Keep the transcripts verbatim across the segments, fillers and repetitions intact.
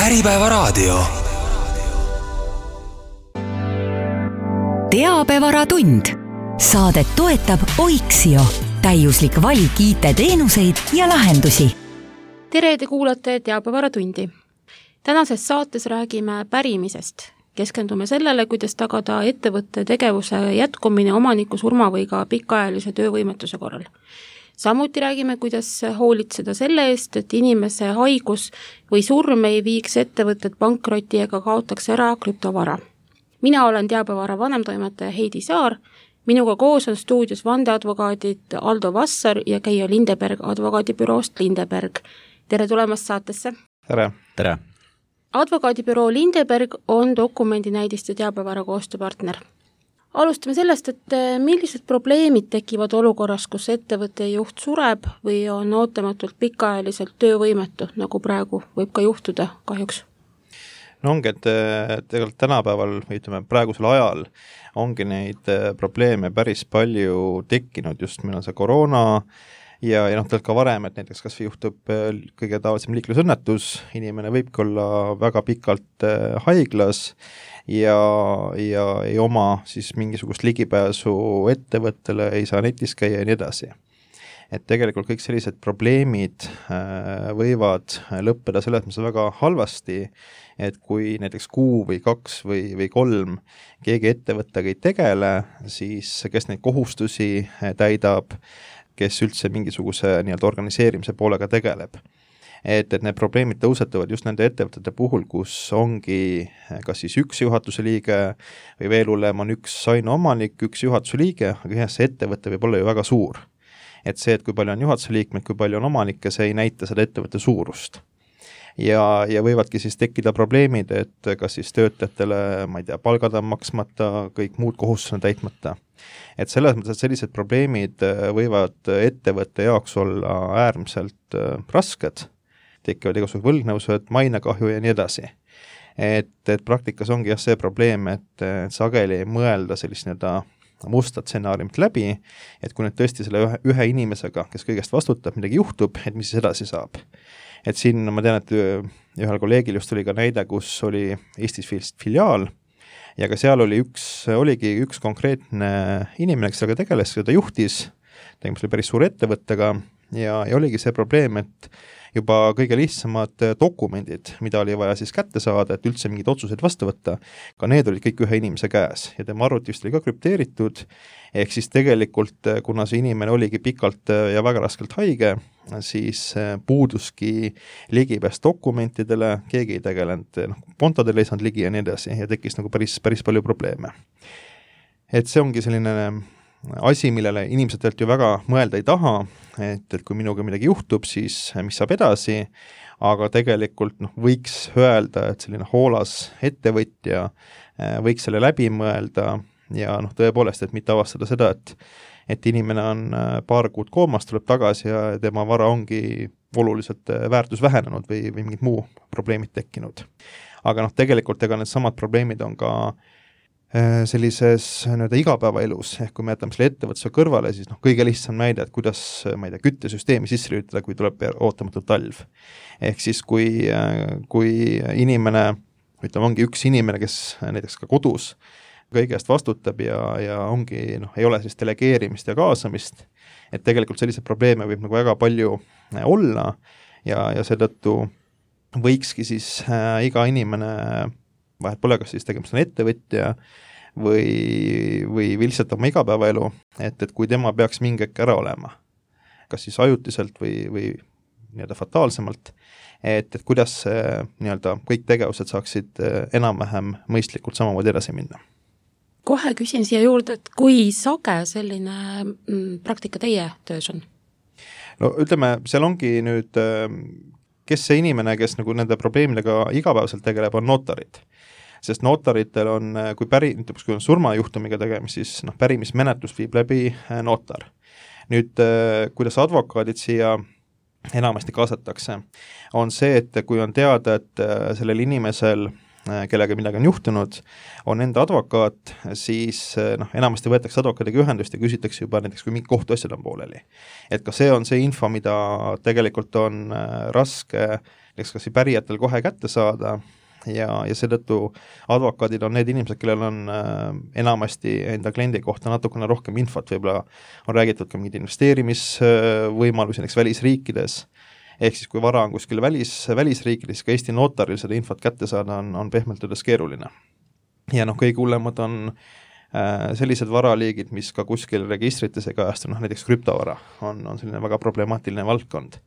Äripäevaraadio. Teabevaratund. Saadet toetab Oiksio. Täiuslik valik I T-teenuseid ja lahendusi. Tere, te kuulate Teabevaratundi. Tänases saates räägime pärimisest. Keskendume sellele, kuidas tagada ettevõtte tegevuse jätkumine omaniku surma või ka pikaajalise töövõimetuse korral. Samuti räägime, kuidas hoolitseda selle eest, et inimese haigus või surm ei viiks ettevõtted pankroti ega kaotaks ära krüptovara. Mina olen Teabevara vanemtoimetaja Heidi Saar, minuga koos on stuudios vandeadvokaadid Aldo Vassar ja Keijo Lindeberg advokaadibüroost Lindeberg. Tere tulemast saatesse! Tere! Tere! Advokaadibüroo Lindeberg on dokumendinäidiste Teabevara koostööpartner. Alustame sellest, et millised probleemid tekivad olukorras, kus ettevõtte juht sureb või on ootamatult pikaajaliselt töövõimetu, nagu praegu võib ka juhtuda kahjuks? No ongi, et tegelikult tänapäeval, ütleme praegusel ajal, ongi neid probleeme päris palju tekkinud, just meil on see koroona ja, ja noh, tegelikult ka varem, et näiteks kas juhtub kõige tavalisem liiklusõnnetus, inimene võibki olla väga pikalt haiglas ja, ja ei oma siis mingisugust ligipääsu ettevõttele, ei saa netis käia ja nii edasi. Et tegelikult kõik sellised probleemid võivad lõppeda selles mõttes väga halvasti, et kui näiteks kuu või kaks või, või kolm keegi ettevõttega ei tegele, siis kes neid kohustusi täidab, kes üldse mingisuguse nii-öelda organiseerimise poolega tegeleb. Et, et need probleemid tõusetuvad just nende ettevõtete puhul, kus ongi kas siis üks juhatuse liige või veel hullem on üks ainuomanik, üks juhatuse liige, aga jah, see ettevõte võib olla ju väga suur. Et see, et kui palju on juhatuse liikmeid, kui palju on omanikke, see ei näita seda ettevõtte suurust. Ja, ja võivadki siis tekkida probleemid, et kas siis töötajatele, ma ei tea, palgad on maksmata, kõik muud kohustused on täitmata. Et selles mõttes, et sellised probleemid võivad ettevõtte jaoks olla äärmiselt rasked, tekivad igasugused võlgnevused, mainekahju ja nii edasi. Et, et praktikas ongi jah see probleem, et, et sageli ei mõelda sellist nii-öelda musta stsenaariumit läbi, et kui nüüd tõesti selle ühe, ühe inimesega, kes kõigest vastutab, midagi juhtub, et mis siis edasi saab. Et siin ma tean, et ühel kolleegil just oli ka näide, kus oli Eestis filiaal ja ka seal oli üks, oligi üks konkreetne inimene, kes sellega tegeles, seda juhtis, tegemist oli päris suure ettevõttega ja, ja oligi see probleem, et juba kõige lihtsamad dokumendid, mida oli vaja siis kätte saada, et üldse mingid otsused vastu võtta, ka need olid kõik ühe inimese käes ja tema arvuti vist oli ka krüpteeritud, ehk siis tegelikult, kuna see inimene oligi pikalt ja väga raskelt haige, siis puuduski ligipääs dokumentidele, keegi ei tegelenud, noh, kontodele ei saanud ligi ja nii edasi ja tekkis nagu päris, päris palju probleeme. Et see ongi selline asi, millele inimesed tegelikult ju väga mõelda ei taha, et, et kui minuga midagi juhtub, siis mis saab edasi, aga tegelikult noh, võiks öelda, et selline hoolas ettevõtja võiks selle läbi mõelda ja noh, tõepoolest, et mitte avastada seda, et, et inimene on paar kuud koomas, tuleb tagasi ja tema vara ongi oluliselt väärtus vähenenud või, või mingid muu probleemid tekkinud. Aga noh, tegelikult ega need samad probleemid on ka sellises nii-öelda igapäevaelus, ehk kui me jätame selle ettevõtluse kõrvale, siis noh, kõige lihtsam näide, et kuidas, ma ei tea, küttesüsteemi sisse lülitada, kui tuleb ootamatult talv. Ehk siis kui, kui inimene, ütleme, ongi üks inimene, kes näiteks ka kodus kõigest vastutab ja, ja ongi, noh, ei ole siis delegeerimist ja kaasamist, et tegelikult selliseid probleeme võib nagu väga palju olla ja, ja seetõttu võikski siis äh, iga inimene vahet pole, kas siis tegemist on ettevõtja või, või lihtsalt oma igapäevaelu, et, et kui tema peaks mingi hetk ära olema, kas siis ajutiselt või, või nii-öelda fataalsemalt, et, et kuidas nii-öelda kõik tegevused saaksid enam-vähem mõistlikult samamoodi edasi minna. Kohe küsin siia juurde, et kui sage selline mm, praktika teie töös on? No ütleme, seal ongi nüüd, kes see inimene, kes nagu nende probleemidega igapäevaselt tegeleb, on notarid. Sest notaritel on, kui päri, kui on surmajuhtumiga tegemist, siis noh, pärimismenetlus viib läbi notar. Nüüd, kuidas advokaadid siia enamasti kaasatakse, on see, et kui on teada, et sellel inimesel, kellega midagi on juhtunud, on enda advokaat, siis noh, enamasti võetakse advokaadiga ühendust ja küsitakse juba näiteks, kui mingi kohtuasjad on pooleli. Et ka see on see info, mida tegelikult on raske eks kas pärijatel kohe kätte saada ja, ja seetõttu advokaadid on need inimesed, kellel on äh, enamasti enda kliendi kohta natukene rohkem infot, võib-olla on räägitud ka mingid investeerimisvõimalusi näiteks välisriikides, ehk siis kui vara on kuskil välis, välisriikides, ka Eesti notaril seda infot kätte saada on, on pehmelt öeldes keeruline. Ja noh, kõige hullemad on äh, sellised varaliigid, mis ka kuskil registrites ei kajastu, noh näiteks krüptovara on, on selline väga problemaatiline valdkond.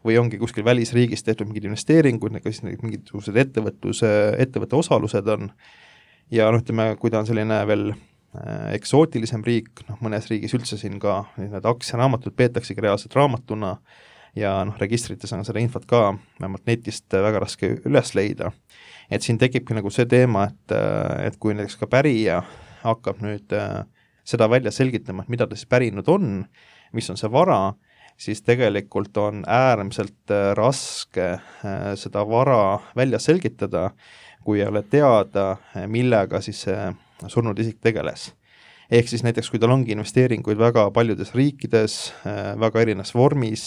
Või ongi kuskil välisriigis tehtud mingid investeeringud, siis mingisugused ettevõtluse, ettevõtte osalused on, ja noh, ütleme, kui ta on selline veel äh, eksootilisem riik, noh mõnes riigis üldse siin ka need aktsiaraamatud peetaksegi reaalselt raamatuna, ja noh, registrites on seda infot ka vähemalt netist väga raske üles leida. Et siin tekibki nagu see teema, et, et kui näiteks ka pärija hakkab nüüd äh, seda välja selgitama, et mida ta siis pärinud on, mis on see vara, siis tegelikult on äärmiselt raske seda vara välja selgitada, kui ei ole teada, millega siis see surnud isik tegeles. Ehk siis näiteks, kui tal ongi investeeringuid väga paljudes riikides, väga erinevas vormis,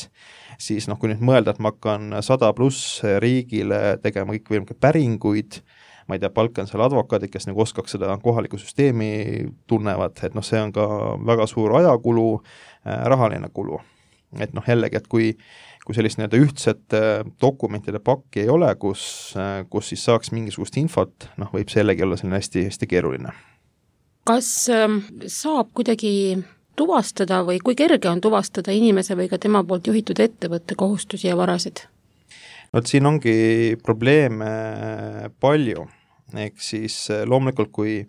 siis noh, kui nüüd mõelda, et ma hakkan sada pluss riigile tegema kõik võimalikke päringuid, ma ei tea, palkan seal advokaadid, kes nagu oskaks seda kohalikku süsteemi tunnevad, et noh, see on ka väga suur ajakulu, rahaline kulu. Et noh, jällegi, et kui, kui sellist nii-öelda ühtset dokumentide pakki ei ole, kus, kus siis saaks mingisugust infot, noh, võib see jällegi olla selline hästi, hästi keeruline. Kas saab kuidagi tuvastada või kui kerge on tuvastada inimese või ka tema poolt juhitud ettevõtte kohustusi ja varasid? No, et siin ongi probleeme palju, ehk siis loomulikult, kui,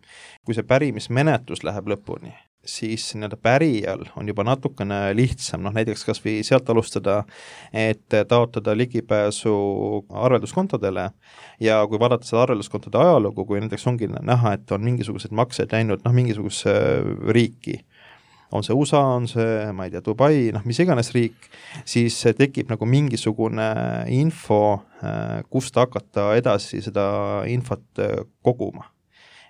kui see pärimismenetlus läheb lõpuni, siis nii-öelda pärijal on juba natukene lihtsam, noh näiteks kas või sealt alustada, et taotada ligipääsu arvelduskontodele ja kui vaadata seda arvelduskontode ajalugu, kui näiteks ongi näha, et on mingisugused maksed läinud noh, mingisuguse riiki, on see U S A, on see, ma ei tea, Dubai, noh mis iganes riik, siis tekib nagu mingisugune info, kust hakata edasi seda infot koguma.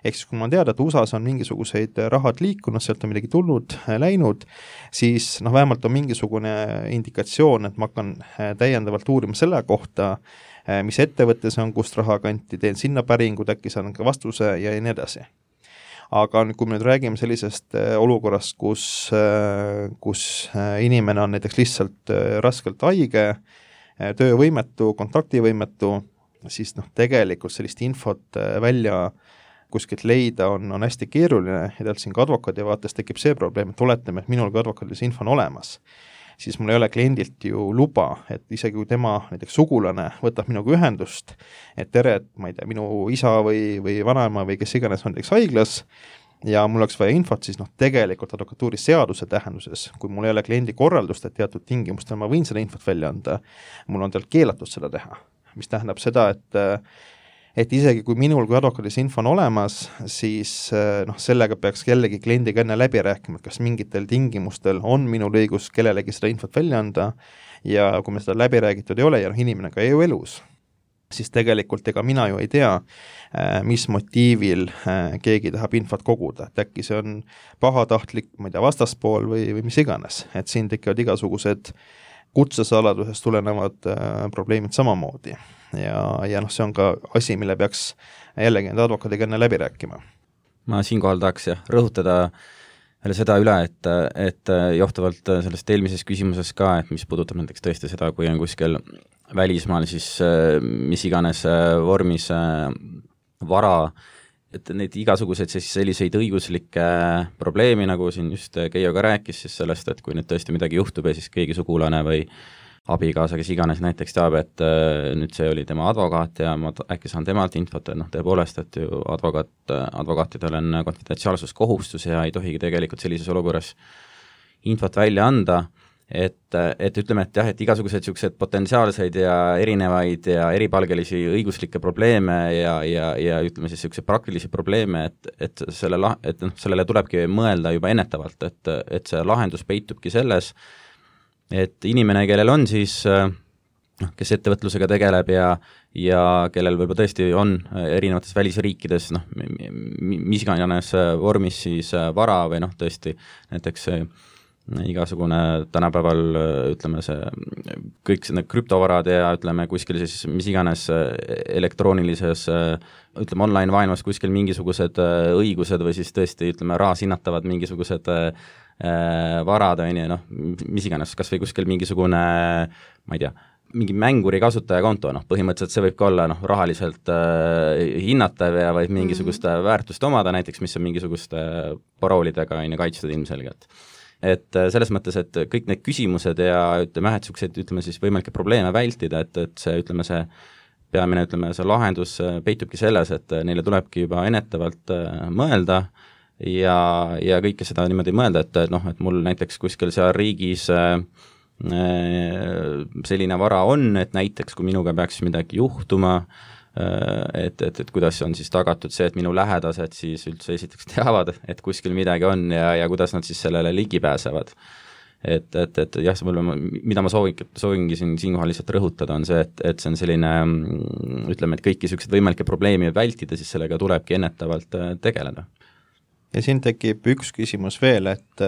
Ehk siis kui ma teada, et U S A-s on mingisuguseid rahad liikunud, sealt on midagi tulnud, läinud, siis noh, vähemalt on mingisugune indikatsioon, et ma hakkan täiendavalt uurima selle kohta, mis ettevõttes on, kust raha kanti, teen sinna päringud, äkki saan ka vastuse ja nii edasi. Aga kui me nüüd räägime sellisest olukorrast, kus, kus inimene on näiteks lihtsalt raskelt haige, töövõimetu, kontaktivõimetu, siis noh, tegelikult sellist infot välja kuskilt leida on, on hästi keeruline ja tegelikult siin ka advokaadi vaates tekib see probleem, et oletame, et minul ka advokaadil see info on olemas, siis mul ei ole kliendilt ju luba, et isegi kui tema näiteks sugulane võtab minuga ühendust, et tere, et ma ei tea, minu isa või, või vanaema või kes iganes on näiteks haiglas ja mul oleks vaja infot, siis noh, tegelikult advokatuuri seaduse tähenduses, kui mul ei ole kliendi korraldust, et teatud tingimustel ma võin seda infot välja anda, mul on tal keelatud seda teha, mis tähendab seda, et et isegi kui minul kui advokaadis info on olemas, siis noh, sellega peaks jällegi kliendiga enne läbi rääkima, et kas mingitel tingimustel on minul õigus kellelegi seda infot välja anda ja kui me seda läbi räägitud ei ole ja noh, inimene ka ei ju elus, siis tegelikult ega mina ju ei tea, mis motiivil keegi tahab infot koguda, et äkki see on pahatahtlik, ma ei tea, vastaspool või, või mis iganes, et siin tekivad igasugused kutsesaladusest tulenevad probleemid samamoodi. Ja, ja noh, see on ka asi, mille peaks jällegi enda advokaadiga enne läbi rääkima. Ma siinkohal tahaks jah, rõhutada veel seda üle, et, et johtuvalt sellest eelmises küsimuses ka, et mis puudutab näiteks tõesti seda, kui on kuskil välismaal siis mis iganes vormis vara, et neid igasuguseid siis selliseid õiguslikke probleemi, nagu siin just Keijo ka rääkis, siis sellest, et kui nüüd tõesti midagi juhtub ja siis keegi sugulane või abikaasa, kes iganes näiteks teab, et äh, nüüd see oli tema advokaat ja ma äkki saan temalt infot, et noh, tõepoolest, et ju advokaat, advokaatidel on konfidentsiaalsuskohustus ja ei tohigi tegelikult sellises olukorras infot välja anda, et, et ütleme, et jah, et igasugused niisugused potentsiaalseid ja erinevaid ja eripalgelisi õiguslikke probleeme ja, ja, ja ütleme siis niisuguseid praktilisi probleeme, et, et, selle, et noh, sellele tulebki mõelda juba ennetavalt, et, et see lahendus peitubki selles, et inimene, kellel on siis, noh, kes ettevõtlusega tegeleb ja, ja kellel võib-olla tõesti on erinevates välisriikides, noh, mis iganes vormis siis vara või noh, tõesti näiteks igasugune tänapäeval ütleme see, kõik need krüptovarad ja ütleme kuskil siis mis iganes elektroonilises ütleme online maailmas kuskil mingisugused õigused või siis tõesti ütleme rahas hinnatavad mingisugused varad on ju, noh, mis iganes, kas või kuskil mingisugune, ma ei tea, mingi mänguri kasutajakonto, noh, põhimõtteliselt see võib ka olla noh, rahaliselt äh, hinnatav ja võib mingisugust mm-hmm. väärtust omada, näiteks mis on mingisuguste paroolidega on ju kaitstud ilmselgelt. Et äh, selles mõttes, et kõik need küsimused ja ütleme, et niisugused, ütleme siis võimalikke probleeme vältida, et, et see, ütleme see peamine, ütleme see lahendus peitubki selles, et neile tulebki juba ennetavalt äh, mõelda ja, ja kõike seda niimoodi mõelda, et noh, et mul näiteks kuskil seal riigis äh, selline vara on, et näiteks kui minuga peaks midagi juhtuma, et, et, et kuidas on siis tagatud see, et minu lähedased siis üldse esiteks teavad, et kuskil midagi on ja, ja kuidas nad siis sellele ligi pääsevad. Et, et, et jah, mida ma soovin, soovingi siin siinkohal lihtsalt rõhutada, on see, et, et see on selline, ütleme, et kõiki sellised võimalikke probleemi vältida, siis sellega tulebki ennetavalt tegeleda. Ja siin tekib üks küsimus veel, et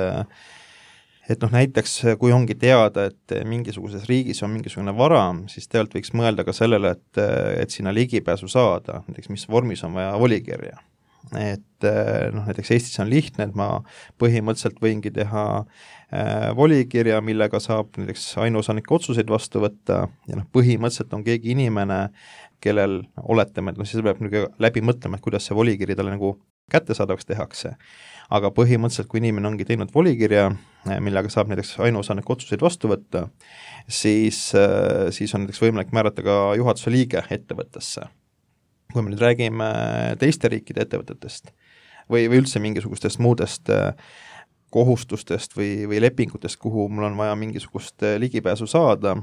et noh, näiteks kui ongi teada, et mingisuguses riigis on mingisugune vara, siis tegelikult võiks mõelda ka sellele, et, et sinna ligipääsu saada, näiteks mis vormis on vaja volikirja. Et noh, näiteks Eestis on lihtne, et ma põhimõtteliselt võingi teha äh, volikirja, millega saab näiteks ainuosanike otsuseid vastu võtta ja noh, põhimõtteliselt on keegi inimene, kellel oletame, et noh, siis peab läbi mõtlema, et kuidas see volikiri talle nagu kättesaadavaks tehakse. Aga põhimõtteliselt, kui inimene ongi teinud volikirja, millega saab näiteks ainuosanike otsuseid vastu võtta, siis, siis on näiteks võimalik määrata ka juhatuse liige ettevõttesse. Kui me nüüd räägime teiste riikide ettevõtetest või, või üldse mingisugustest muudest kohustustest või, või lepingutest, kuhu mul on vaja mingisugust ligipääsu saada,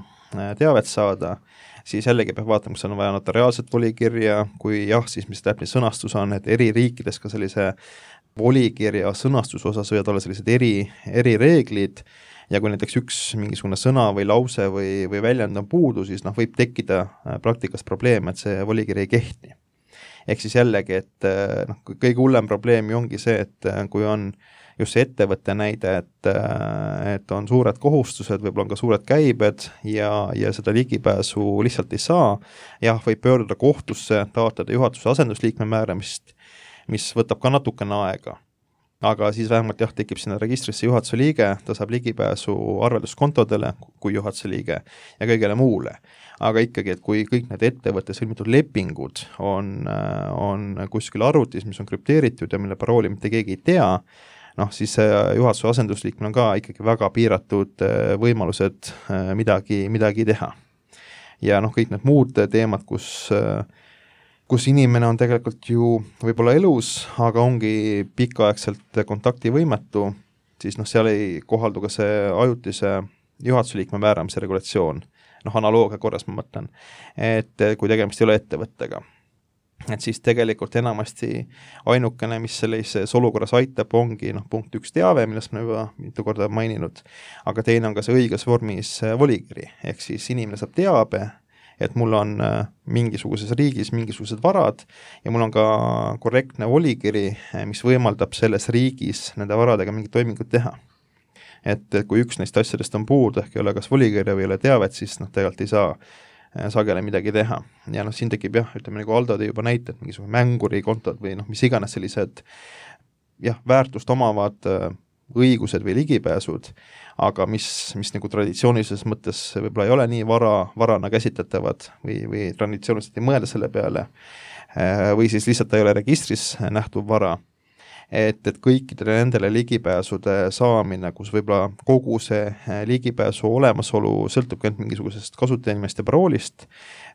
teavet saada, siis jällegi peab vaatama, kas on vaja notariaalset volikirja, kui jah, siis mis täpne sõnastus on, et eri riikides ka sellise volikirja sõnastuse osas võivad olla sellised eri, eri reeglid ja kui näiteks üks mingisugune sõna või lause või, või väljend on puudu, siis noh, võib tekkida praktikas probleem, et see volikiri ei kehti. Ehk siis jällegi, et noh, kõige hullem probleem ju ongi see, et kui on just see ettevõtte näide, et, et on suured kohustused, võib-olla on ka suured käibed ja, ja seda ligipääsu lihtsalt ei saa, jah, võib pöörduda kohtusse, taotleda juhatuse asendusliikme määramist, mis võtab ka natukene aega. Aga siis vähemalt jah, tekib sinna registrisse juhatuse liige, ta saab ligipääsu arvelduskontodele kui juhatuse liige ja kõigele muule. Aga ikkagi, et kui kõik need ettevõtte sõlmitud lepingud on, on kuskil arvutis, mis on krüpteeritud ja mille parooli mitte keegi ei tea, noh, siis juhatuse asendusliikmel on ka ikkagi väga piiratud võimalused midagi, midagi teha. Ja noh, kõik need muud teemad, kus kus inimene on tegelikult ju võib-olla elus, aga ongi pikaaegselt kontaktivõimetu, siis noh, seal ei kohaldu ka see ajutise juhatuse liikme määramise regulatsioon, noh, analoogia korras ma mõtlen, et kui tegemist ei ole ettevõttega. Et siis tegelikult enamasti ainukene, mis sellises olukorras aitab, ongi noh, punkt üks teave, millest ma juba mitu korda maininud, aga teine on ka see õiges vormis volikiri, ehk siis inimene saab teabe, et mul on mingisuguses riigis mingisugused varad ja mul on ka korrektne volikiri, mis võimaldab selles riigis nende varadega mingit toimingut teha. Et kui üks neist asjadest on puudu, ehk ei ole kas volikirja või ei ole teavet, siis noh, tegelikult ei saa sagele midagi teha. Ja noh, siin tekib jah, ütleme nagu Aldo tõi juba näited, mingisugune mänguri kontod või noh, mis iganes sellised jah, väärtust omavad õigused või ligipääsud, aga mis, mis nagu traditsioonilises mõttes võib-olla ei ole nii vara, varana käsitletavad või, või traditsiooniliselt ei mõelda selle peale või siis lihtsalt ei ole registris nähtuv vara, et, et kõikidele nendele ligipääsude saamine, kus võib-olla kogu see ligipääsu olemasolu sõltub ka mingisugusest kasutajanimest ja paroolist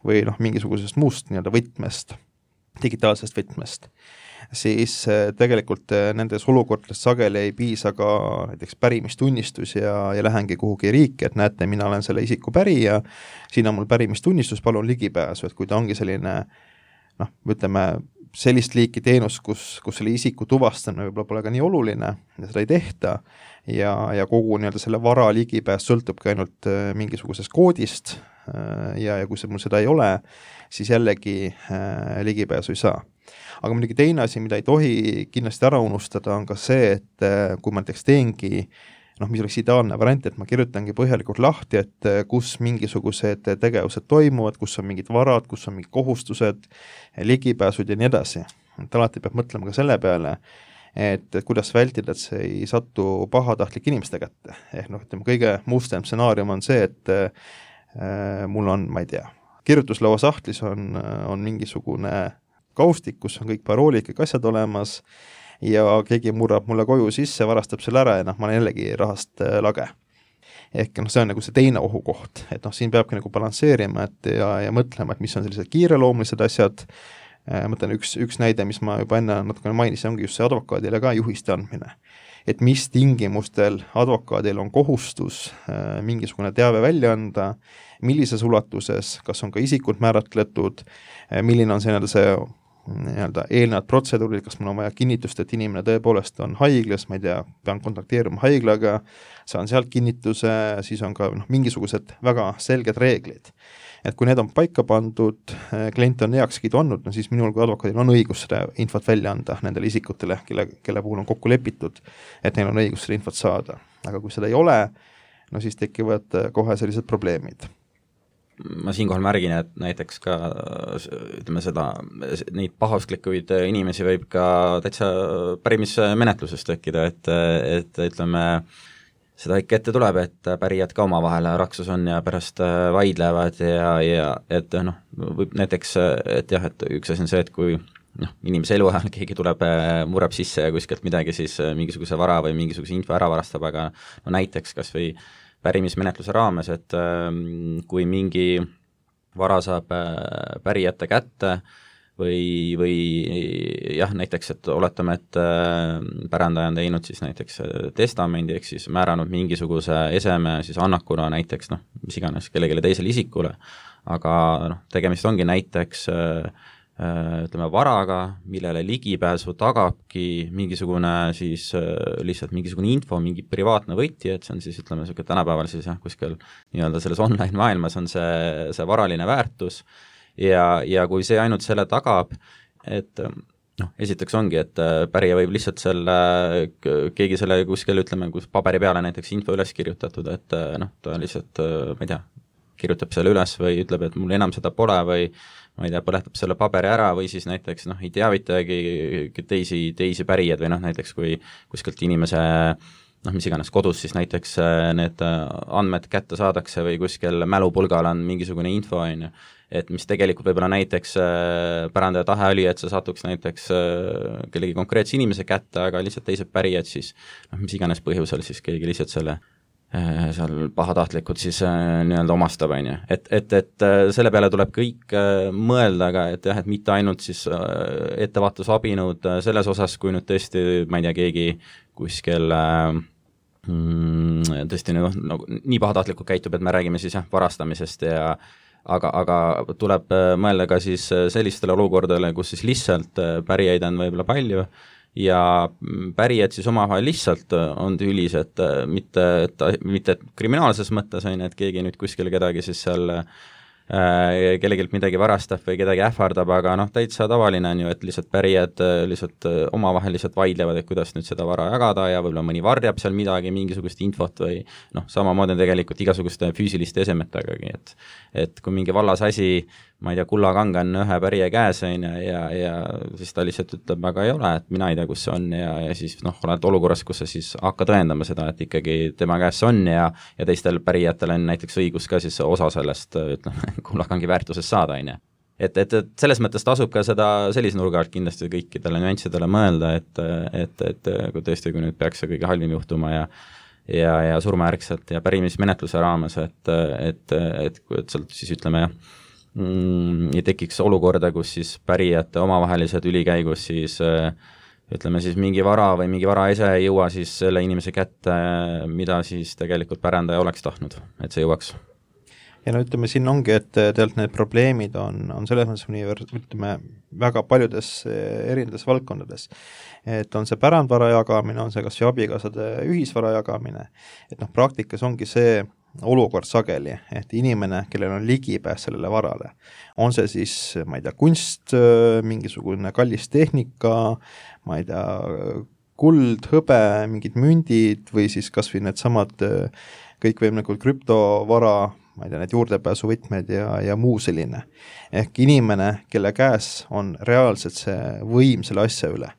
või noh, mingisugusest muust nii-öelda võtmest, digitaalsest võtmest, siis tegelikult nendes olukordades sageli ei piisa ka näiteks pärimistunnistus ja, ja lähengi kuhugi riiki, et näete, mina olen selle isiku pärija, siin on mul pärimistunnistus, palun ligipääsu, et kui ta ongi selline noh, ütleme sellist liiki teenus, kus, kus selle isiku tuvastamine võib-olla pole ka nii oluline ja seda ei tehta ja, ja kogu nii-öelda selle vara ligipääs sõltubki ainult mingisugusest koodist ja, ja kui see mul seda ei ole, siis jällegi äh, ligipääsu ei saa. Aga muidugi teine asi, mida ei tohi kindlasti ära unustada, on ka see, et kui ma näiteks teengi noh, mis oleks ideaalne variant, et ma kirjutangi põhjalikult lahti, et kus mingisugused tegevused toimuvad, kus on mingid varad, kus on mingid kohustused, ligipääsud ja nii edasi. Et alati peab mõtlema ka selle peale, et, et kuidas vältida, et see ei satu pahatahtlik inimeste kätte. Ehk noh, ütleme, kõige mustem stsenaarium on see, et äh, mul on, ma ei tea, kirjutuslaua sahtlis on, on mingisugune kaustik, kus on kõik paroolid, kõik asjad olemas, ja keegi murrab mulle koju sisse, varastab selle ära ja noh, ma olen jällegi rahast lage. Ehk noh, see on nagu see teine ohukoht, et noh, siin peabki nagu balansseerima et ja, ja mõtlema, et mis on sellised kiireloomulised asjad. Mõtlen üks, üks näide, mis ma juba enne natukene mainisin, ongi just see advokaadile ka juhiste andmine. Et mis tingimustel advokaadil on kohustus äh, mingisugune teave välja anda, millises ulatuses, kas on ka isikult määratletud, äh, milline on see, see nii-öelda eelnevad protseduurid, kas mul on vaja kinnitust, et inimene tõepoolest on haiglas, ma ei tea, pean kontakteerima haiglaga, saan sealt kinnituse, siis on ka noh, mingisugused väga selged reeglid. Et kui need on paika pandud, klient on heakskiidu andnud, no siis minul kui advokaadil on õigus seda infot välja anda nendele isikutele, kelle, kelle puhul on kokku lepitud, et neil on õigus seda infot saada. Aga kui seda ei ole, no siis tekivad kohe sellised probleemid. Ma siinkohal märgin, et näiteks ka ütleme seda, neid pahausklikkuid inimesi võib ka täitsa pärimismenetluses tekkida, et, et ütleme, seda ikka ette tuleb, et pärijad ka omavahel raksus on ja pärast vaidlevad ja, ja et noh, võib näiteks, et jah, et üks asi on see, et kui noh, inimese elu ajal keegi tuleb, murrab sisse ja kuskilt midagi, siis mingisuguse vara või mingisuguse info ära varastab, aga no näiteks kas või pärimismenetluse raames, et kui mingi vara saab pärijate kätte või, või jah, näiteks, et oletame, et pärandaja on teinud siis näiteks testamendi, ehk siis määranud mingisuguse eseme siis annakuna näiteks, noh, mis iganes kellelegi teisele isikule, aga noh, tegemist ongi näiteks ütleme varaga, millele ligipääsu tagabki mingisugune siis lihtsalt mingisugune info, mingi privaatne võti, et see on siis ütleme selline tänapäeval siis jah, kuskil nii-öelda selles online maailmas on see, see varaline väärtus ja, ja kui see ainult selle tagab, et noh, esiteks ongi, et pärija võib lihtsalt selle, keegi selle kuskil ütleme, kus paberi peale näiteks info üles kirjutatud, et noh, ta lihtsalt, ma ei tea, kirjutab selle üles või ütleb, et mul enam seda pole või ma ei tea, põletab selle paberi ära või siis näiteks noh, ei teavitagi teisi, teisi pärijad või noh, näiteks kui kuskilt inimese noh, mis iganes kodus siis näiteks need andmed kätte saadakse või kuskil mälupulgal on mingisugune info, on ju, et mis tegelikult võib-olla näiteks pärandaja tahe oli, et see satuks näiteks kellegi konkreetse inimese kätte, aga lihtsalt teised pärijad siis noh, mis iganes põhjusel siis keegi lihtsalt selle seal pahatahtlikud siis nii-öelda omastab, on ju. Et, et, et selle peale tuleb kõik mõelda, aga et jah, et mitte ainult siis ettevaatusabinud selles osas, kui nüüd tõesti, ma ei tea, keegi kuskil mm, tõesti nagu, nagu nii pahatahtlikult käitub, et me räägime siis jah, varastamisest ja aga, aga tuleb mõelda ka siis sellistele olukordadele, kus siis lihtsalt pärijaid on võib-olla palju ja pärijad siis omavahel lihtsalt on tülis, et mitte, et, mitte kriminaalses mõttes on, et keegi nüüd kuskil kedagi siis seal äh, kellegilt midagi varastab või kedagi ähvardab, aga noh, täitsa tavaline on ju, et lihtsalt pärijad lihtsalt omavahel lihtsalt vaidlevad, et kuidas nüüd seda vara jagada ja võib-olla mõni varjab seal midagi, mingisugust infot või noh, samamoodi tegelikult igasuguste füüsiliste esemetagagi, et et kui mingi vallas asi ma ei tea, kullakang on ühe pärija käes on ja, ja, ja siis ta lihtsalt ütleb, aga ei ole, et mina ei tea, kus see on ja, ja siis noh, oled olukorras, kus sa siis hakka tõendama seda, et ikkagi tema käes see on ja, ja teistel pärijatel on näiteks õigus ka siis osa sellest, ütleme, kullakangi väärtusest saada, on ju. Et, et, et selles mõttes tasub ka seda sellise nurga alt kindlasti kõikidele nüanssidele mõelda, et, et, et kui tõesti, kui nüüd peaks see kõige halvim juhtuma ja ja, ja surmajärgselt ja pärimismenetluse raames, et, et, et, et sealt siis ütleme jah, ja tekiks olukorda, kus siis pärijate omavahelised ülikäigus siis ütleme siis mingi vara või mingi varaese ei jõua siis selle inimese kätte, mida siis tegelikult pärandaja oleks tahtnud, et see jõuaks. Ja no ütleme, siin ongi, et tegelikult need probleemid on, on selles mõttes univers-, ütleme, väga paljudes erinedes valdkondades. Et on see pärandvara jagamine, on see kas või abikaasade ühisvara jagamine, et noh, praktikas ongi see olukord sageli, et inimene, kellel on ligipääs sellele varale, on see siis, ma ei tea, kunst, mingisugune kallis tehnika, ma ei tea, kuld, hõbe, mingid mündid või siis kas või need samad kõikvõimalikud krüptovara, ma ei tea, need juurdepääsuvõtmed ja, ja muu selline. Ehk inimene, kelle käes on reaalselt see võim selle asja üle,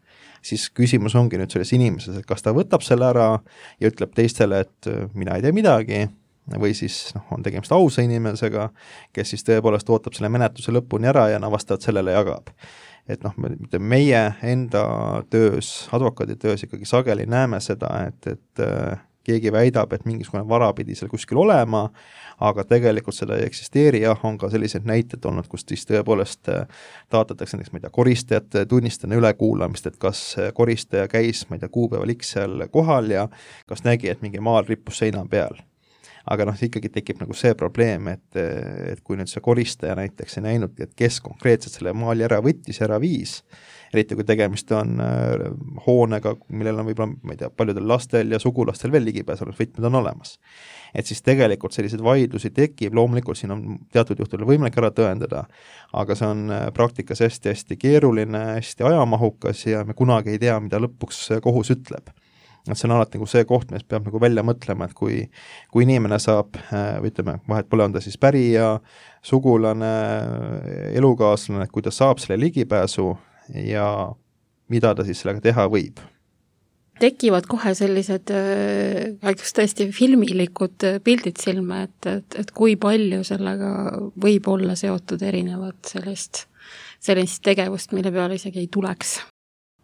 siis küsimus ongi nüüd selles inimeses, et kas ta võtab selle ära ja ütleb teistele, et mina ei tee midagi, või siis noh, on tegemist ausa inimesega, kes siis tõepoolest ootab selle menetluse lõpuni ära ja no vastavalt sellele jagab. Et noh, meie enda töös, advokaadi töös ikkagi sageli näeme seda, et, et keegi väidab, et mingisugune vara pidi seal kuskil olema, aga tegelikult seda ei eksisteeri, jah, on ka sellised näited olnud, kus siis tõepoolest taotletakse näiteks, ma ei tea, koristajate tunnistane ülekuulamist, et kas koristaja käis, ma ei tea, kuupäeval X seal kohal ja kas nägi, et mingi maal rippus seina peal. Aga noh, ikkagi tekib nagu see probleem, et, et kui nüüd see koristaja näiteks ei näinud, et kes konkreetselt selle maali ära võttis, ära viis, eriti kui tegemist on hoonega, millel on võib-olla, ma ei tea, paljudel lastel ja sugulastel veel ligipääsenud võtmed on olemas. Et siis tegelikult sellised vaidlusi tekib, loomulikult siin on teatud juhtudel võimalik ära tõendada, aga see on praktikas hästi-hästi keeruline, hästi ajamahukas ja me kunagi ei tea, mida lõpuks kohus ütleb. Et see on alati nagu see koht, mis peab nagu välja mõtlema, et kui, kui inimene saab, või ütleme, vahet pole, on ta siis pärija, sugulane, elukaaslane, kui ta saab selle ligipääsu ja mida ta siis sellega teha võib. Tekivad kohe sellised äh, tõesti filmilikud pildid silme, et, et, et kui palju sellega võib olla seotud erinevad sellist, sellist tegevust, mille peale isegi ei tuleks.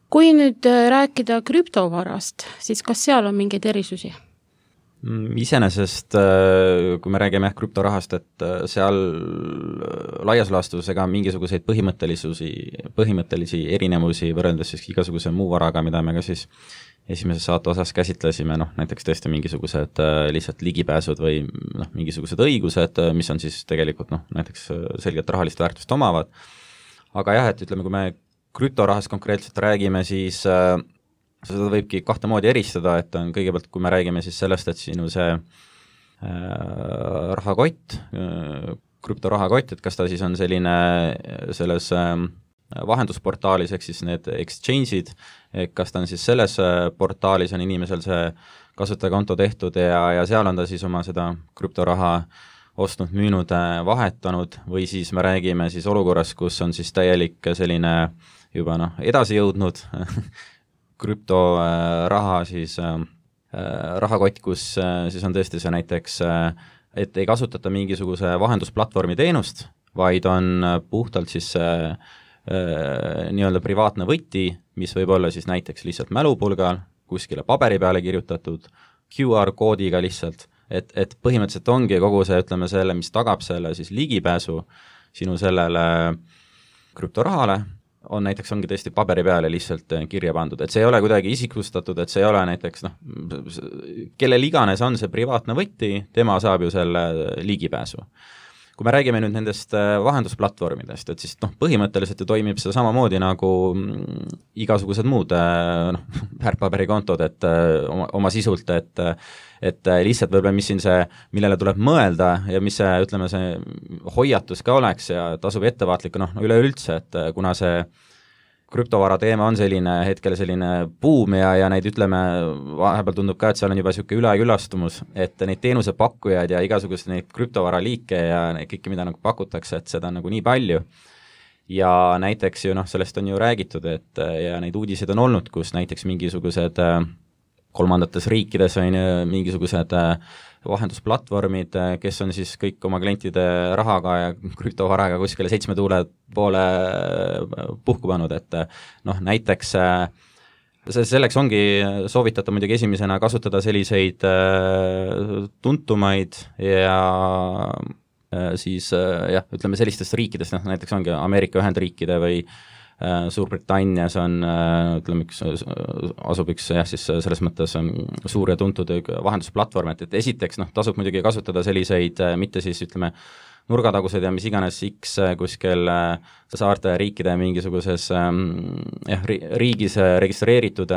Kui nüüd rääkida krüptovarast, siis kas seal on mingeid erisusi? Iseenesest, kui me räägime krüptorahast, et seal laias laastus ega mingisuguseid põhimõttelisusi, põhimõttelisi erinevusi võrreldes siis igasuguse muu varaga, mida me ka siis esimeses saate osas käsitlesime, noh, näiteks tõesti mingisugused lihtsalt ligipääsud või noh, mingisugused õigused, mis on siis tegelikult noh, näiteks selgelt rahalist väärtust omavad. Aga jah, et ütleme, kui me krüptorahast konkreetselt räägime, siis äh, seda võibki kahte moodi eristada, et on kõigepealt, kui me räägime siis sellest, et sinu see äh, rahakott, äh, krüptorahakott, et kas ta siis on selline selles äh, vahendusportaalis, ehk siis need exchange'id, kas ta on siis selles äh, portaalis on inimesel see kasutajakonto tehtud ja, ja seal on ta siis oma seda krüptoraha ostnud, müünud, vahetanud või siis me räägime siis olukorras, kus on siis täielik selline juba noh, edasi jõudnud krüptoraha siis äh, rahakott, kus äh, siis on tõesti see näiteks, äh, et ei kasutata mingisuguse vahendusplatvormi teenust, vaid on puhtalt siis äh, äh, nii-öelda privaatne võti, mis võib olla siis näiteks lihtsalt mälupulgal, kuskile paberi peale kirjutatud, Q R-koodiga lihtsalt, et, et põhimõtteliselt ongi kogu see, ütleme selle, mis tagab selle siis ligipääsu sinu sellele krüptorahale, on näiteks ongi tõesti paberi peale lihtsalt kirja pandud, et see ei ole kuidagi isiklustatud, et see ei ole näiteks noh, kellel iganes on see privaatne võti, tema saab ju selle ligipääsu. Kui me räägime nüüd nendest vahendusplatvormidest, et siis noh, põhimõtteliselt ju toimib see samamoodi nagu igasugused muud noh, väärtpaberikontod, et oma, oma sisult, et et lihtsalt võib-olla, mis siin see, millele tuleb mõelda ja mis see, ütleme, see hoiatus ka oleks ja tasub ettevaatlik, noh, üleüldse, et kuna see krüptovara teema on selline hetkel selline buum ja, ja neid ütleme, vahepeal tundub ka, et seal on juba niisugune ülekülastumus, et neid teenusepakkujaid ja igasugused neid krüptovara liike ja kõike, mida nagu pakutakse, et seda on nagu nii palju. Ja näiteks ju noh, sellest on ju räägitud, et ja neid uudiseid on olnud, kus näiteks mingisugused kolmandates riikides on mingisugused vahendusplatvormid, kes on siis kõik oma klientide rahaga ja krüptovaraga kuskile seitsme tuule poole puhku pannud, et noh, näiteks selleks ongi soovitatav muidugi esimesena kasutada selliseid tuntumaid ja siis jah, ütleme sellistest riikidest, noh näiteks ongi Ameerika Ühendriikide või Suurbritannias on, ütleme, üks, asub üks jah, siis selles mõttes suur ja tuntud vahendusplatvorm, et, et esiteks noh, tasub muidugi kasutada selliseid, mitte siis ütleme, nurgatagused ja mis iganes X kuskil saarte riikide mingisuguses jah, riigis registreeritud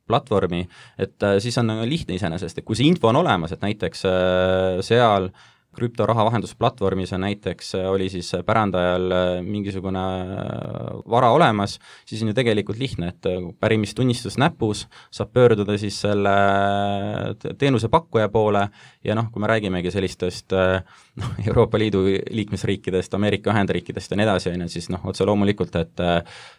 platvormi, et siis on lihtne iseenesest, et kui see info on olemas, et näiteks seal krüptoraha vahendusplatvormis on näiteks, oli siis pärandajal mingisugune vara olemas, siis on ju tegelikult lihtne, et pärimistunnistus näpus, saab pöörduda siis selle teenusepakkuja poole ja noh, kui me räägimegi sellistest noh, Euroopa Liidu liikmesriikidest, Ameerika Ühendriikidest ja nii edasi, siis noh, otse loomulikult, et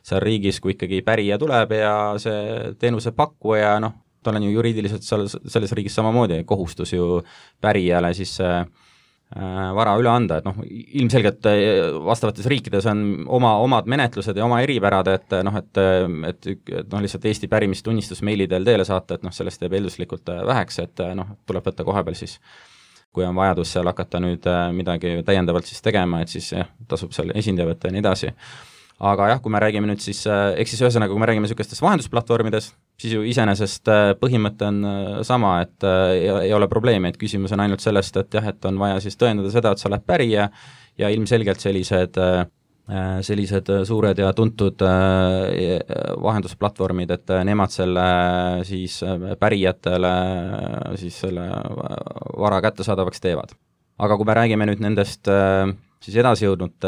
seal riigis, kui ikkagi pärija tuleb ja see teenusepakkuja, noh, tal on ju juriidiliselt seal, selles riigis samamoodi kohustus ju pärijale siis äh, vara üle anda, et noh, ilmselgelt vastavates riikides on oma, omad menetlused ja oma eripärad, et noh, et, et, et noh, lihtsalt Eesti pärimistunnistus meili teel teele saata, et noh, sellest jääb eelduslikult väheks, et noh, tuleb võtta kohapeal siis, kui on vajadus seal hakata nüüd midagi täiendavalt siis tegema, et siis jah, tasub seal esindaja võtta ja nii edasi. Aga jah, kui me räägime nüüd siis, eks siis ühesõnaga, kui me räägime niisugustest vahendusplatvormides, siis ju iseenesest põhimõte on sama, et ei ole probleemi, et küsimus on ainult sellest, et jah, et on vaja siis tõendada seda, et sa oled pärija ja ilmselgelt sellised, sellised suured ja tuntud vahendusplatvormid, et nemad selle siis pärijatele siis selle vara kättesaadavaks teevad. Aga kui me räägime nüüd nendest siis edasi jõudnud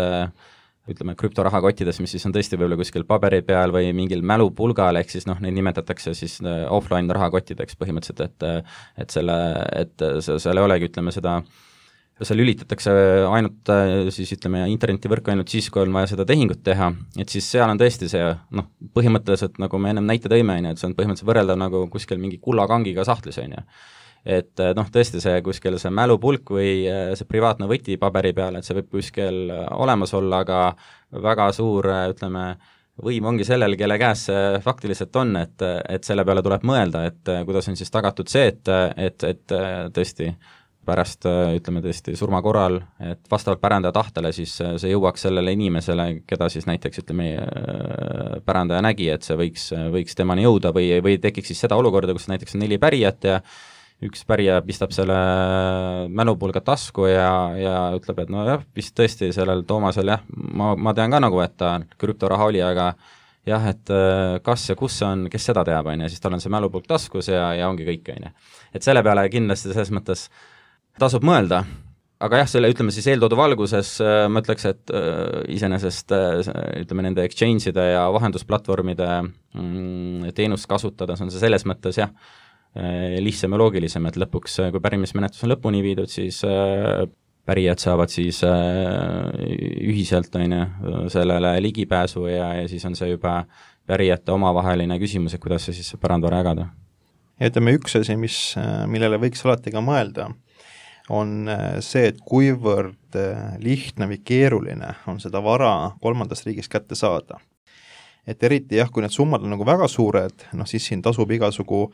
ütleme, krüptorahakottides, mis siis on tõesti võib-olla kuskil paberi peal või mingil mälupulgal, ehk siis noh, neid nimetatakse siis offline rahakottideks põhimõtteliselt, et, et selle, et seal ei olegi, ütleme seda, seal lülitatakse ainult siis ütleme internetivõrku ainult siis, kui on vaja seda tehingut teha, et siis seal on tõesti see, noh, põhimõtteliselt nagu me ennem näite tõime, et see on põhimõtteliselt võrreldav nagu kuskil mingi kullakangiga sahtlis, on ju. Et noh, tõesti see kuskil see mälupulk või see privaatne võti paberi peal, et see võib kuskil olemas olla, aga väga suur, ütleme, võim ongi sellel, kelle käes see faktiliselt on, et, et selle peale tuleb mõelda, et kuidas on siis tagatud see, et, et, et tõesti pärast, ütleme tõesti surma korral, et vastavalt pärandaja tahtele siis see jõuaks sellele inimesele, keda siis näiteks ütleme pärandaja nägi, et see võiks, võiks temani jõuda või, või tekiks siis seda olukorda, kus näiteks on neli pärijat ja üks pärija pistab selle mälupulga tasku ja, ja ütleb, et no jah, vist tõesti sellel Toomasel jah, ma, ma tean ka nagu, et ta krüptoraha oli, aga jah, et kas ja kus on, kes seda teab, on ja siis tal on see mälupulk taskus ja, ja ongi kõik, on ja. Et selle peale kindlasti selles mõttes tasub mõelda, aga jah, selle ütleme siis eeltoodu valguses ma ütleks, et iseenesest ütleme nende exchange'ide ja vahendusplatvormide mm, teenust kasutades on see selles mõttes jah, lihtsam ja loogilisem, et lõpuks, kui pärimismenetlus on lõpuni viidud, siis pärijad saavad siis ühiselt on ju, sellele ligipääsu ja, ja siis on see juba pärijate omavaheline küsimus, et kuidas see siis pärandvara jagada. Ja ütleme, üks asi, mis, millele võiks alati ka mõelda, on see, et kuivõrd lihtne või keeruline on seda vara kolmandast riigist kätte saada. Et eriti jah, kui need summad on nagu väga suured, noh siis siin tasub igasugu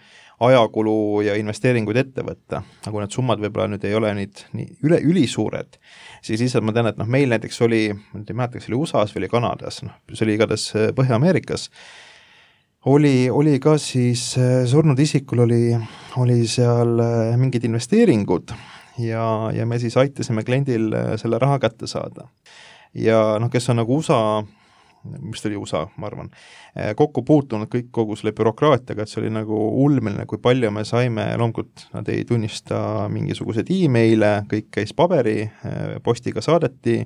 ajakulu ja investeeringuid ette võtta, aga kui need summad võib-olla nüüd ei ole nüüd nii üle, ülisuured, siis lihtsalt ma tean, et noh, meil näiteks oli, ma ei mäleta, kas oli U S A-s või oli Kanadas, noh, see oli igatahes Põhja-Ameerikas, oli, oli ka siis surnud isikul oli, oli seal mingid investeeringud ja, ja me siis aitasime kliendil selle raha kätte saada. Ja noh, kes on nagu U S A mis oli U S A, ma arvan, kokku puutunud kõik kogu selle bürokraatiaga, et see oli nagu ulmeline, kui palju me saime, loomulikult nad ei tunnista mingisuguseid e-maile, kõik käis paberi, postiga saadeti,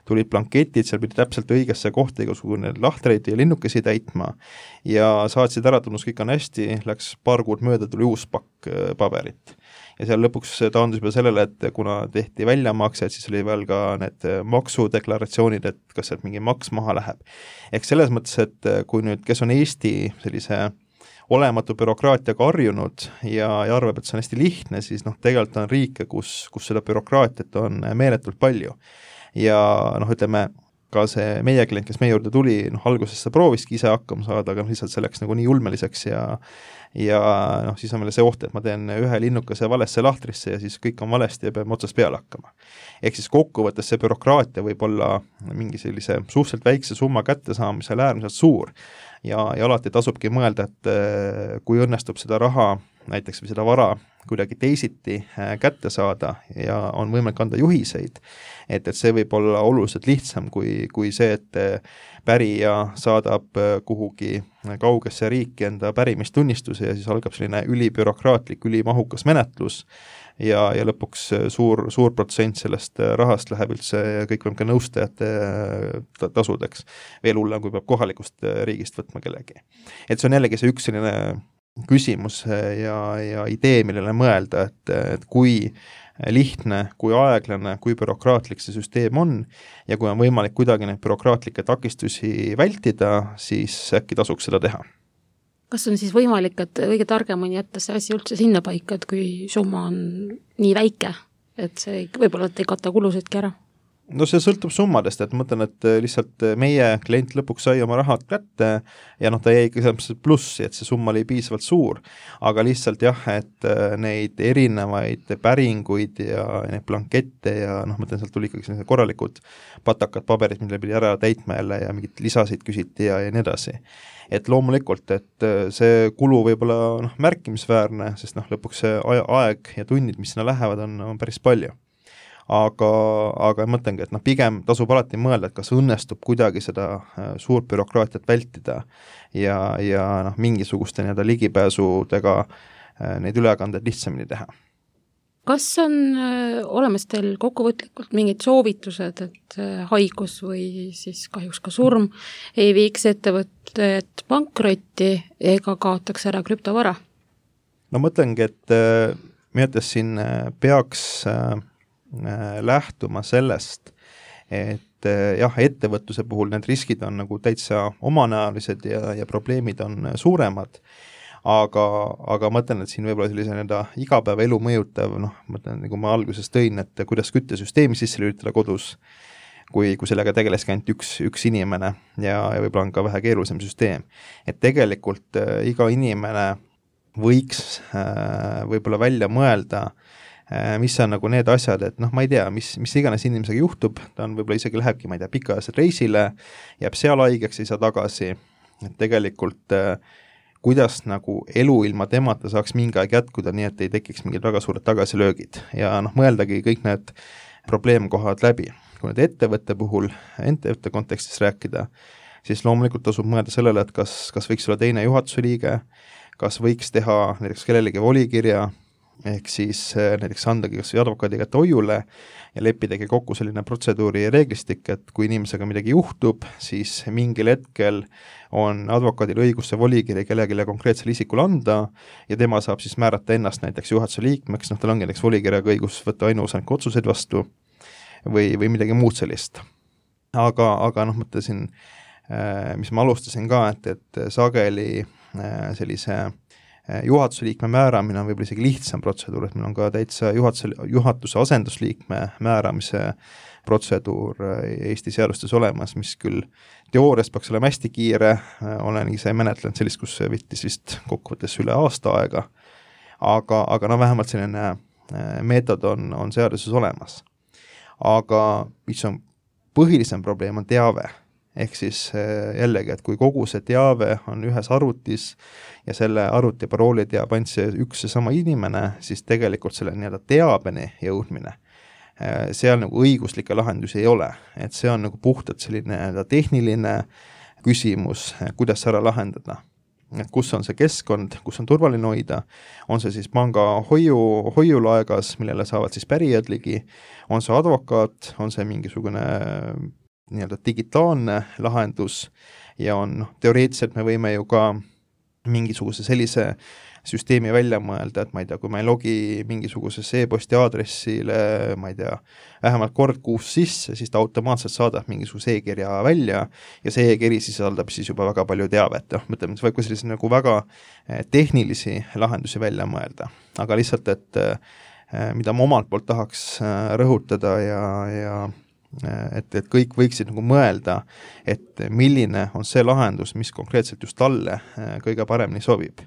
tulid blanketid, seal pidi täpselt õigesse kohta igasugune lahtreid ja linnukesi täitma ja saatsid ära, tunnus kõik on hästi, läks paar kuud mööda, tuli uus pakk paberit. Ja seal lõpuks taandus juba sellele, et kuna tehti väljamaksed, siis oli veel ka need maksudeklaratsioonid, et kas sealt mingi maks maha läheb. Ehk selles mõttes, et kui nüüd, kes on Eesti sellise olematu bürokraatiaga harjunud ja, ja arvab, et see on hästi lihtne, siis noh, tegelikult on riike, kus, kus seda bürokraatiat on meeletult palju. Ja noh, ütleme, ka see meie klient, kes meie juurde tuli, noh, alguses ta prooviski ise hakkama saada, aga lihtsalt see läks nagu nii ulmeliseks ja ja noh, siis on veel see oht, et ma teen ühe linnukese valesse lahtrisse ja siis kõik on valesti ja peame otsast peale hakkama. Ehk siis kokkuvõttes see bürokraatia võib olla mingi sellise suhteliselt väikse summa kättesaamisel äärmiselt suur ja, ja alati tasubki mõelda, et kui õnnestub seda raha näiteks või seda vara kuidagi teisiti kätte saada ja on võimalik anda juhiseid, et, et see võib olla oluliselt lihtsam kui, kui see, et pärija saadab kuhugi kaugesse riiki enda pärimistunnistuse ja siis algab selline ülibürokraatlik, ülimahukas menetlus ja, ja lõpuks suur, suur protsent sellest rahast läheb üldse kõikvõimke nõustajate tasudeks. Veel hullem, kui peab kohalikust riigist võtma kellegi. Et see on jällegi see üks selline küsimus ja, ja idee, millele mõelda, et, et kui lihtne, kui aeglane, kui bürokraatlik see süsteem on ja kui on võimalik kuidagi neid bürokraatlikke takistusi vältida, siis äkki tasuks seda teha. Kas on siis võimalik, et kõige targem on jätta see asi üldse sinna paika, et kui summa on nii väike, et see võib-olla ei kata kulusidki ära? No see sõltub summadest, et ma mõtlen, et lihtsalt meie klient lõpuks sai oma rahad kätte ja noh, ta jäi ikka plussi, et see summa oli piisavalt suur, aga lihtsalt jah, et neid erinevaid päringuid ja neid blankette ja noh, ma mõtlen, sealt tuli ikkagi sellised korralikud patakad paberid, mille pidi ära täitma jälle ja mingid lisasid küsiti ja, ja nii edasi. Et loomulikult, et see kulu võib olla noh, märkimisväärne, sest noh, lõpuks see aeg ja tunnid, mis sinna lähevad, on, on päris palju. Aga, aga mõtlengi, et noh, pigem tasub alati mõelda, et kas õnnestub kuidagi seda suurt bürokraatiat vältida ja, ja noh, mingisuguste nii-öelda ligipääsudega neid ülekandeid lihtsamini teha. Kas on olemas teil kokkuvõtlikult mingid soovitused, et haigus või siis kahjuks ka surm ei viiks ettevõtted pankrotti ega kaotaks ära krüptovara? No mõtlengi, et minu arvates siin peaks lähtuma sellest, et jah, ettevõtluse puhul need riskid on nagu täitsa omanäolised ja, ja probleemid on suuremad, aga, aga mõtlen, et siin võib-olla sellise nii-öelda igapäevaelu mõjutav, noh, mõtlen, nagu ma alguses tõin, et kuidas küttesüsteemi sisse lülitada kodus, kui, kui sellega tegeleski ainult üks, üks inimene ja, ja võib-olla on ka vähe keerulisem süsteem. Et tegelikult äh, iga inimene võiks äh, võib-olla välja mõelda, mis on nagu need asjad, et noh, ma ei tea, mis, mis iganes inimesega juhtub, ta on võib-olla isegi lähebki, ma ei tea, pikaajalisele reisile, jääb seal haigeks, ei saa tagasi, et tegelikult kuidas nagu elu ilma temata saaks mingi aeg jätkuda, nii et ei tekiks mingid väga suured tagasilöögid ja noh, mõeldagi kõik need probleemkohad läbi. Kui need ettevõtte puhul, ettevõtte kontekstis rääkida, siis loomulikult tasub mõelda sellele, et kas, kas võiks olla teine juhatuse liige, kas võiks teha näiteks kellelegi volikirja, ehk siis näiteks andagi kas või advokaadi kätte hoiule ja leppidagi kokku selline protseduuri reeglistik, et kui inimesega midagi juhtub, siis mingil hetkel on advokaadil õigus see volikiri kellelegi konkreetsele isikule anda ja tema saab siis määrata ennast näiteks juhatuse liikmeks, noh tal ongi näiteks volikirjaga õigus võtta ainuosaniku otsuseid vastu või, või midagi muud sellist. Aga, aga noh, mõtlesin, mis ma alustasin ka, et, et sageli sellise juhatuse liikme määramine on võib-olla isegi lihtsam protseduur, et meil on ka täitsa juhatuse, juhatuse asendusliikme määramise protseduur Eesti seadustes olemas, mis küll teoorias peaks olema hästi kiire, olen ise menetlenud sellist, kus see võttis vist kokkuvõttes üle aasta aega, aga, aga no vähemalt selline meetod on, on seaduses olemas. Aga mis on põhilisem probleem, on teave. Ehk siis jällegi, et kui kogu see teave on ühes arvutis ja selle arvuti parooli teab ainult see üks ja sama inimene, siis tegelikult selle nii-öelda teabeni jõudmine, seal nagu õiguslikke lahendusi ei ole. Et see on nagu puhtalt selline tehniline küsimus, kuidas ära lahendada. Et kus on see keskkond, kus on turvaline hoida, on see siis panga hoiu, hoiulaegas, millele saavad siis pärijad ligi, on see advokaat, on see mingisugune nii-öelda digitaalne lahendus ja on noh, teoreetiliselt me võime ju ka mingisuguse sellise süsteemi välja mõelda, et ma ei tea, kui ma ei logi mingisugusesse e-posti aadressile, ma ei tea, vähemalt kord kuus sisse, siis ta automaatselt saadab mingisuguse e-kirja välja ja see e-kiri sisaldab siis juba väga palju teavet. Noh, mõtleme, see võib ka sellise nagu väga tehnilisi lahendusi välja mõelda, aga lihtsalt, et mida ma omalt poolt tahaks rõhutada ja, ja et, et kõik võiksid nagu mõelda, et milline on see lahendus, mis konkreetselt just talle kõige paremini sobib.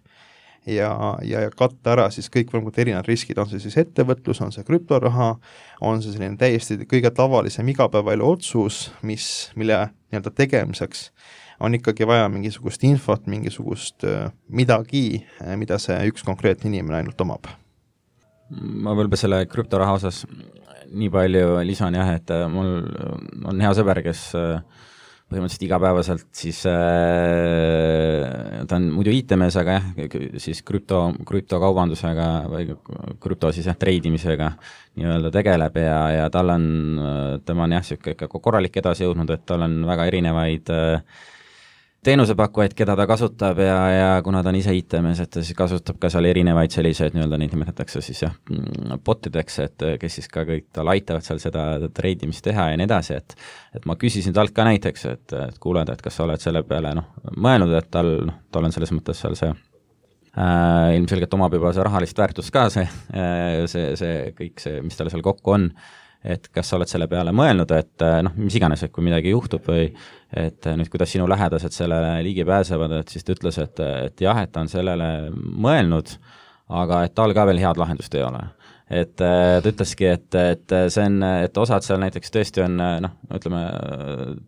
Ja, ja, ja katta ära siis kõik võimalikult erinevad riskid, on see siis ettevõtlus, on see krüptoraha, on see selline täiesti kõige tavalisem igapäevaelu otsus, mis, mille nii-öelda tegemiseks on ikkagi vaja mingisugust infot, mingisugust midagi, mida see üks konkreetne inimene ainult omab. ma võib-olla selle krüptoraha osas nii palju lisan jah, et mul on hea sõber, kes põhimõtteliselt igapäevaselt siis äh, ta on muidu I T-mees, aga jah, siis krüpto, krüptokaubandusega või krüpto siis jah, treidimisega nii-öelda tegeleb ja, ja tal on, tema on jah, siuke korralik edasi jõudnud, et tal on väga erinevaid äh, teenusepakkujaid, keda ta kasutab ja, ja kuna ta on ise I T-mees, et ta siis kasutab ka seal erinevaid selliseid nii-öelda neid nimetatakse siis jah, botideks, et kes siis ka kõik tal aitavad seal seda treidimist teha ja nii edasi, et et ma küsisin talt ka näiteks, et, et kuuled, et kas sa oled selle peale noh, mõelnud, et tal, noh, tal on selles mõttes seal see äh, ilmselgelt omab juba see rahalist väärtust ka, see, see, see kõik see, mis tal seal kokku on, et kas sa oled selle peale mõelnud, et noh, mis iganes, et kui midagi juhtub või et nüüd, kuidas sinu lähedased sellele ligi pääsevad, et siis ta ütles, et, et jah, et ta on sellele mõelnud, aga et tal ka veel head lahendust ei ole. Et ta ütleski, et, et see on, et osad seal näiteks tõesti on, noh, ütleme,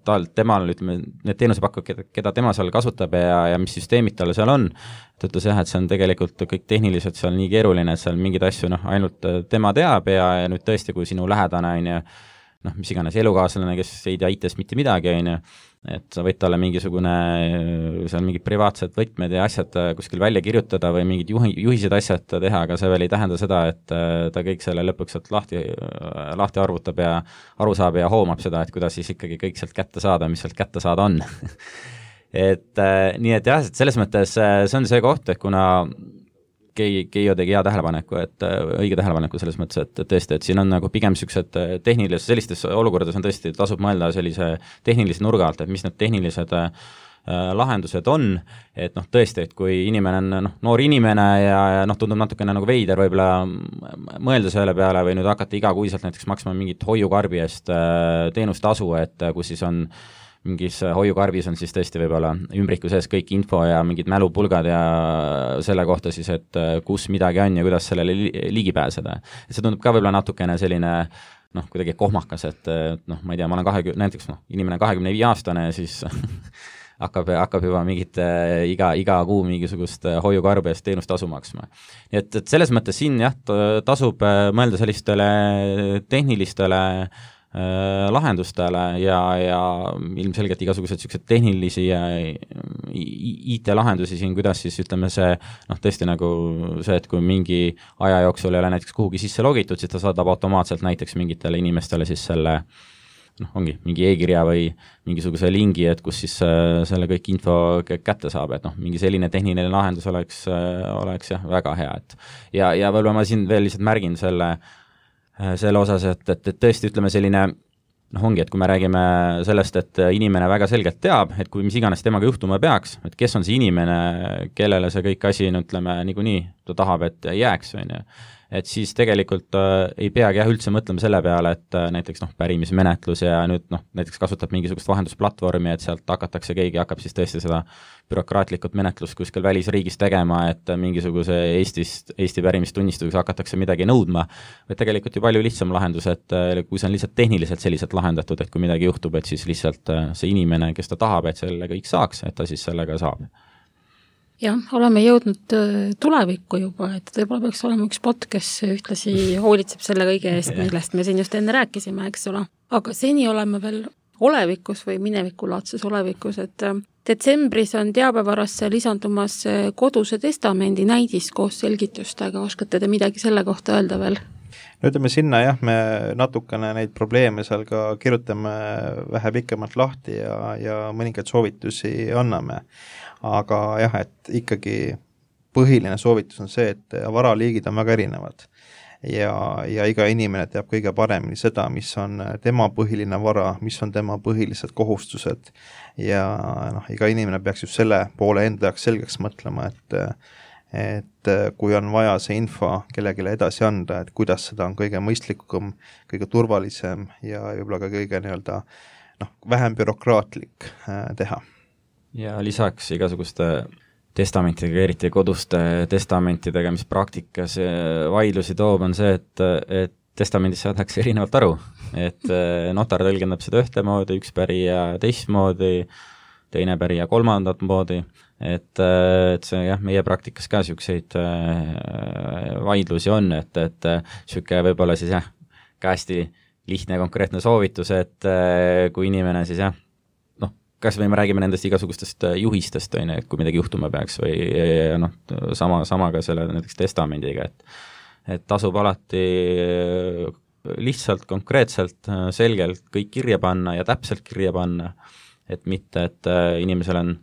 tal, temal, ütleme, need teenusepakkujad, keda, keda tema seal kasutab ja, ja mis süsteemid tal seal on, ta ütles jah, et see on tegelikult kõik tehniliselt seal nii keeruline, et seal mingeid asju, noh, ainult tema teab ja, ja nüüd tõesti, kui sinu lähedane on ja noh, mis iganes elukaaslane, kes ei tea I T-st mitte midagi, on ju, et sa võid talle mingisugune, seal mingid privaatsed võtmed ja asjad kuskil välja kirjutada või mingid juhi, juhised asjad teha, aga see veel ei tähenda seda, et ta kõik selle lõpuks sealt lahti, lahti arvutab ja aru saab ja hoomab seda, et kuidas siis ikkagi kõik sealt kätte saada, mis sealt kätte saada on. et nii, et jah, et selles mõttes see on see koht, et kuna Keijo tegi hea tähelepaneku, et õige tähelepaneku selles mõttes, et tõesti, et siin on nagu pigem niisugused tehnilised, sellistes olukordades on tõesti, tasub mõelda sellise tehnilise nurga alt, et mis need tehnilised äh, lahendused on, et noh, tõesti, et kui inimene on noh, noor inimene ja, ja noh, tundub natukene nagu veider võib-olla mõelda selle peale või nüüd hakata igakuiselt näiteks maksma mingit hoiukarbi eest äh, teenustasu, et kus siis on mingis hoiukarbis on siis tõesti võib-olla ümbriku sees kõik info ja mingid mälupulgad ja selle kohta siis, et kus midagi on ja kuidas sellele ligi pääseda. Et see tundub ka võib-olla natukene selline noh, kuidagi kohmakas, et noh, ma ei tea, ma olen kahekümne, näiteks noh, inimene kahekümne viie aastane ja siis hakkab, hakkab juba mingit iga, iga kuu mingisugust hoiukarbi eest teenustasu maksma. Nii et, et selles mõttes siin jah, tasub mõelda sellistele tehnilistele lahendustele ja, ja ilmselgelt igasugused niisugused tehnilisi ja I T-lahendusi siin, kuidas siis ütleme see, noh tõesti nagu see, et kui mingi aja jooksul ei ole näiteks kuhugi sisse logitud, siis ta saadab automaatselt näiteks mingitele inimestele siis selle noh, ongi mingi e-kirja või mingisuguse lingi, et kus siis äh, selle kõik info kätte saab, et noh, mingi selline tehniline lahendus oleks, äh, oleks jah, väga hea, et ja, ja võib-olla ma siin veel lihtsalt märgin selle selle osas, et, et, et tõesti ütleme selline, noh ongi, et kui me räägime sellest, et inimene väga selgelt teab, et kui mis iganes temaga juhtuma peaks, et kes on see inimene, kellele see kõik asi, ütleme, niikuinii ta tahab, et jääks, on ju, et siis tegelikult äh, ei peagi jah üldse mõtlema selle peale, et äh, näiteks noh, pärimismenetlus ja nüüd noh, näiteks kasutab mingisugust vahendusplatvormi, et sealt hakatakse, keegi hakkab siis tõesti seda bürokraatlikult menetlust kuskil välisriigis tegema, et mingisuguse Eestist, Eesti pärimistunnistuseks hakatakse midagi nõudma, või tegelikult ju palju lihtsam lahendus, et kui see on lihtsalt tehniliselt selliselt lahendatud, et kui midagi juhtub, et siis lihtsalt see inimene, kes ta tahab, et selle kõik saaks, et ta siis sellega saab. Jah, oleme jõudnud tulevikku juba, et võib-olla peaks olema üks bot, kes ühtlasi hoolitseb selle kõige eest, millest me siin just enne rääkisime, eks ole. Aga seni oleme veel olevikus või minevikulaadses olevikus, et detsembris on teabevarasse lisandumas koduse testamendi näidis koos selgitustega, oskate te midagi selle kohta öelda veel? No ütleme sinna jah, me natukene neid probleeme seal ka kirjutame vähe pikemalt lahti ja, ja mõningaid soovitusi anname. Aga jah, et ikkagi põhiline soovitus on see, et varaliigid on väga erinevad ja, ja iga inimene teab kõige paremini seda, mis on tema põhiline vara, mis on tema põhilised kohustused ja noh, iga inimene peaks just selle poole enda jaoks selgeks mõtlema, et et kui on vaja see info kellelegi edasi anda, et kuidas seda on kõige mõistlikum, kõige turvalisem ja võib-olla ka kõige nii-öelda noh, vähem bürokraatlik teha. Ja lisaks igasuguste testamentidega, eriti koduste testamentidega, mis praktikas vaidlusi toob, on see, et, et testamendis saadakse erinevalt aru, et notar tõlgendab seda ühtemoodi, üks pärija teistmoodi, teine pärija kolmandat moodi, et, et see jah, meie praktikas ka niisuguseid vaidlusi on, et, et niisugune võib-olla siis jah, ka hästi lihtne ja konkreetne soovitus, et kui inimene siis jah, noh, kas või me räägime nendest igasugustest juhistest, on, et kui midagi juhtuma peaks või noh, sama, sama ka selle näiteks testamendiga, et et tasub alati lihtsalt, konkreetselt, selgelt kõik kirja panna ja täpselt kirja panna, et mitte, et inimesel on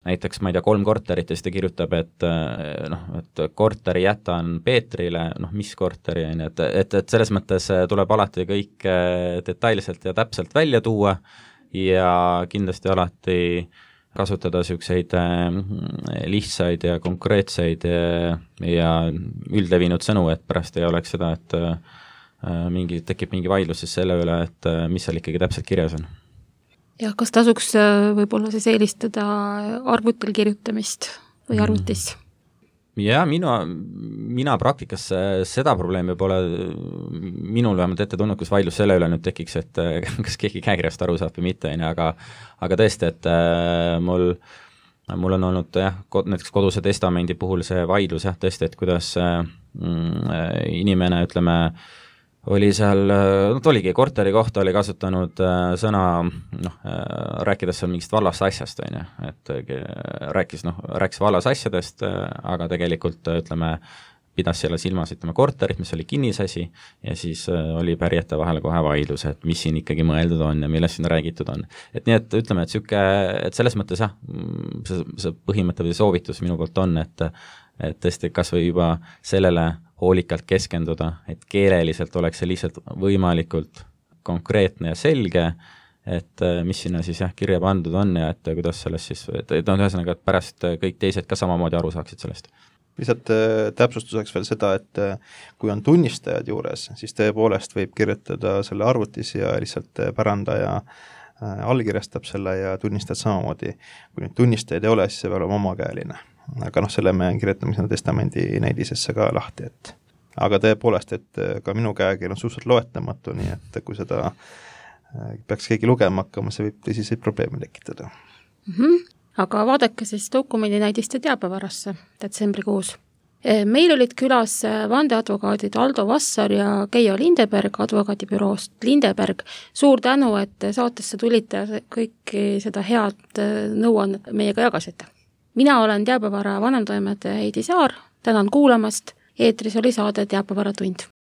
näiteks, ma ei tea, kolm korterit ja siis ta kirjutab, et noh, et korteri jätan Peetrile, noh, mis korteri, et, et, et selles mõttes tuleb alati kõik detailselt ja täpselt välja tuua ja kindlasti alati kasutada niisuguseid lihtsaid ja konkreetseid ja, ja üldlevinud sõnu, et pärast ei oleks seda, et mingi, tekib mingi vaidlus siis selle üle, et mis seal ikkagi täpselt kirjas on. Ja kas tasuks võib-olla siis eelistada arvutil kirjutamist või arvutis? Ja mina, mina praktikas seda probleemi pole minul vähemalt ette tulnud, kus vaidlus selle üle nüüd tekiks, et kas keegi käekirjast aru saab või mitte, aga, aga tõesti, et mul, mul on olnud jah, näiteks koduse testamendi puhul see vaidlus jah, tõesti, et kuidas inimene, ütleme, oli seal, no ta oligi korteri kohta, oli kasutanud sõna, noh, rääkides seal mingist vallast asjast, on ju, et rääkis, noh, rääkis vallas asjadest, aga tegelikult, ütleme, pidas selle silmas, ütleme, korterit, mis oli kinnisasi ja siis oli pärijate vahel kohe vaidlus, et mis siin ikkagi mõeldud on ja millest siin räägitud on. Et nii, et ütleme, et siuke, et selles mõttes jah, see, see põhimõte või soovitus minu poolt on, et, et tõesti kas või juba sellele hoolikalt keskenduda, et keeleliselt oleks see lihtsalt võimalikult konkreetne ja selge, et mis sinna siis jah, kirja pandud on ja et kuidas sellest siis, et, et on ühesõnaga, et pärast kõik teised ka samamoodi aru saaksid sellest. Lihtsalt täpsustuseks veel seda, et kui on tunnistajad juures, siis tõepoolest võib kirjutada selle arvutis ja lihtsalt pärandaja allkirjastab selle ja tunnistajad samamoodi. Kui nüüd tunnistajaid ei ole, siis see peab olema omakäeline. Aga noh, selle me kirjutame sinna testamendi näidisesse ka lahti, et aga tõepoolest, et ka minu käekiri on suhteliselt loetamatu, nii et kui seda peaks keegi lugema hakkama, see võib tõsiseid probleeme tekitada. Mm-hmm. Aga vaadake siis dokumendi näidiste teabevarasse detsembrikuus. Meil olid külas vandeadvokaadid Aldo Vassar ja Keijo Lindeberg advokaadibüroost Lindeberg. Suur tänu, et saatesse tulite ja kõiki seda head nõuannet meiega jagasite. Mina olen teabevara vanemtoimetaja Heidi Saar, tänan kuulamast, eetris oli saade Teabevara tund.